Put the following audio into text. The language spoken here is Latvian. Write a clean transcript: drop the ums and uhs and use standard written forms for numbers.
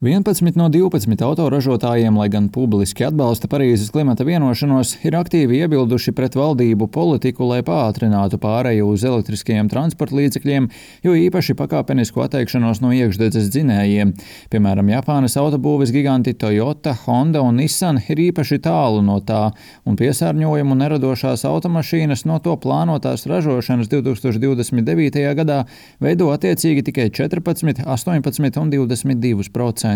11 no 12 autoražotājiem, lai gan publiski atbalsta Parīzes klimata vienošanos, ir aktīvi iebilduši pret valdību politiku, lai pātrinātu pāreju uz elektriskajiem transporta līdzekļiem, jo īpaši pakāpenisku atteikšanos no iekšdedzes dzinējiem. Piemēram, Japānas autobūves giganti Toyota, Honda un Nissan ir īpaši tālu no tā, un piesārņojumu neradošās automašīnas no to plānotās ražošanas 2029. gadā veido attiecīgi tikai 14, 18 un 22%.